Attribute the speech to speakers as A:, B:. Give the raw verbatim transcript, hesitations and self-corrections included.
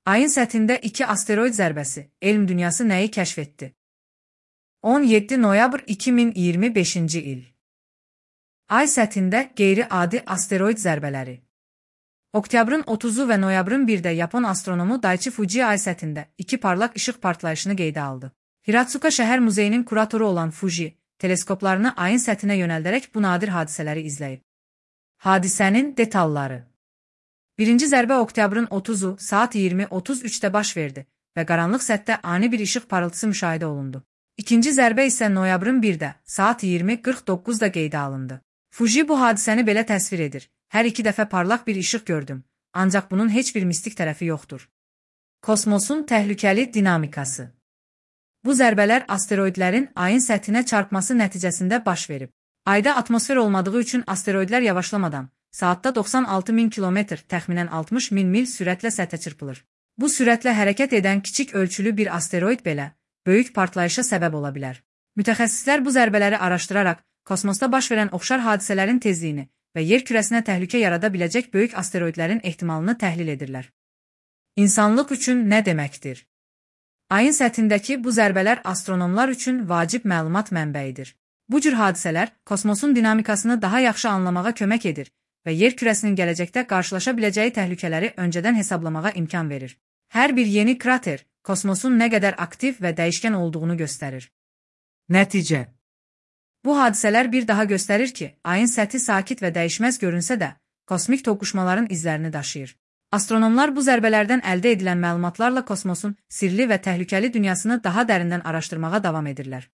A: Ayın səthində iki asteroid zərbəsi, elm dünyası nəyi kəşf etdi? on yeddi noyabr iki min iyirmi beşinci il. Ay səthində qeyri-adi asteroid zərbələri. Oktyabrın otuzu və noyabrın birdə Yapon astronomu Daichi Fuji ay səthində iki parlaq işıq partlayışını qeydə aldı. Hiratsuka şəhər muzeyinin kuratoru olan Fuji, teleskoplarını ayın səthinə yönəldərək bu nadir hadisələri izləyib. Hadisənin detalları. Birinci zərbə oktyabrın otuzu saat iyirmi otuz üçdə baş verdi və qaranlıq səthdə ani bir işıq parıltısı müşahidə olundu. İkinci zərbə isə noyabrın birdə saat iyirmi qırx doqquzda qeydə alındı. Fuji bu hadisəni belə təsvir edir. Hər iki dəfə parlaq bir işıq gördüm, ancaq bunun heç bir mistik tərəfi yoxdur. Kosmosun təhlükəli dinamikası. Bu zərbələr asteroidlərin ayın səthinə çarpması nəticəsində baş verib. Ayda atmosfer olmadığı üçün asteroidlər yavaşlamadan saatda doxsan altı min kilometr, təxminən altmış min mil sürətlə səthə çırpılır. Bu sürətlə hərəkət edən kiçik ölçülü bir asteroid belə böyük partlayışa səbəb ola bilər. Mütəxəssislər bu zərbələri araşdıraraq kosmosda baş verən oxşar hadisələrin tezliyini və yer kürəsinə təhlükə yarada biləcək böyük asteroidlərin ehtimalını təhlil edirlər. İnsanlıq üçün nə deməkdir? Ayın səthindəki bu zərbələr astronomlar üçün vacib məlumat mənbəyidir. Bu cür hadisələr kosmosun dinamikasını daha yaxşı anlamağa kömək edir və yer kürəsinin gələcəkdə qarşılaşa biləcəyi təhlükələri öncədən hesablamağa imkan verir. Hər bir yeni krater kosmosun nə qədər aktiv və dəyişkən olduğunu göstərir. Nəticə. Bu hadisələr bir daha göstərir ki, ayın səthi sakit və dəyişməz görünsə də, kosmik toqquşmaların izlərini daşıyır. Astronomlar bu zərbələrdən əldə edilən məlumatlarla kosmosun sirli və təhlükəli dünyasını daha dərindən araşdırmağa davam edirlər.